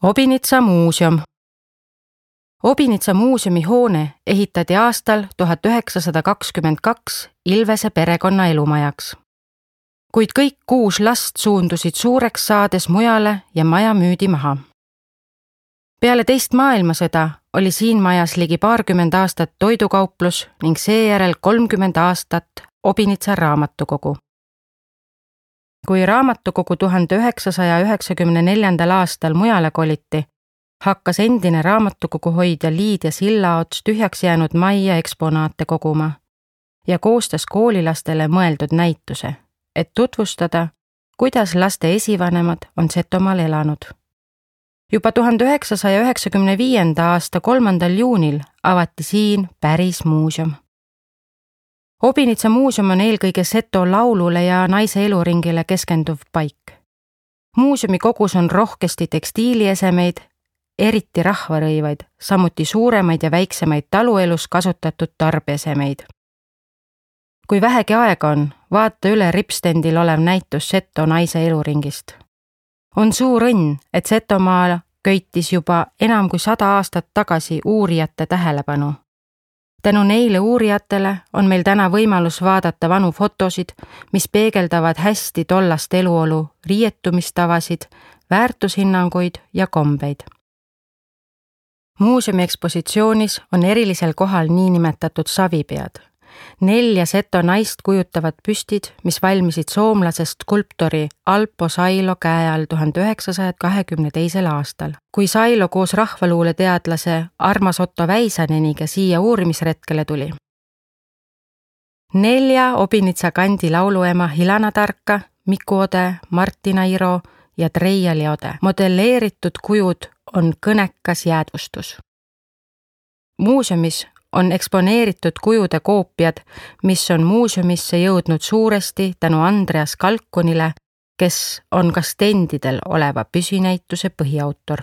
Obinitsa muuseum. Obinitsa muuseumi hoone ehitati aastal 1922 Ilvese perekonna elumajaks. Kuid kõik 6 last suundusid suureks saades mujale ja maja müüdi maha. Peale teist maailmasõda oli siin majas ligi 20 aastat toidukauplus ning seejärel 30 aastat Obinitsa raamatukogu. Kui raamatukogu 1994. aastal mujale koliti, hakkas endine raamatukogu hoidja Liidia Sillaots tühjaks jäänud majja eksponaate koguma ja koostas koolilastele mõeldud näituse, et tutvustada, kuidas laste esivanemad on Setomaal elanud. Juba 1995. aasta 3. juunil avati siin päris muuseum. Obinitsa muuseum on eelkõige Seto laulule ja naise eluringile keskenduv paik. Muuseumi kogus on rohkesti tekstiiliesemeid, eriti rahvarõivaid, samuti suuremaid ja väiksemaid taluelus kasutatud tarbeesemeid. Kui vähegi aega on, vaata üle ripstendil olev näitus Seto naise eluringist. On suur õnn, et Setomaal köitis juba enam kui 100 aastat tagasi uurijate tähelepanu. Tänu neile uurijatele on meil täna võimalus vaadata vanu fotosid, mis peegeldavad hästi tollast eluolu, riietumistavasid, väärtushinnanguid ja kombeid. Muuseumi ekspositsioonis on erilisel kohal niinimetatud savipead. 4 Seto naist kujutavad püstid, mis valmisid soomlasest skulptori Alpo Sailo käe all 1922. aastal. Kui Sailo koos rahvaluuleteadlase Armas Otto Väisaneniga siia uurimisretkele tuli. 4 Obinitsa kandi lauluema Hilana Tarka, Miku Ode, Martina Iro ja Treia Liode modelleeritud kujud on kõnekas jäädvustus. Muuseumis on eksponeeritud kujude koopiad, mis on muuseumisse jõudnud suuresti tänu Andreas Kalkunile, kes on ka stendidel oleva püsinäituse põhiautor.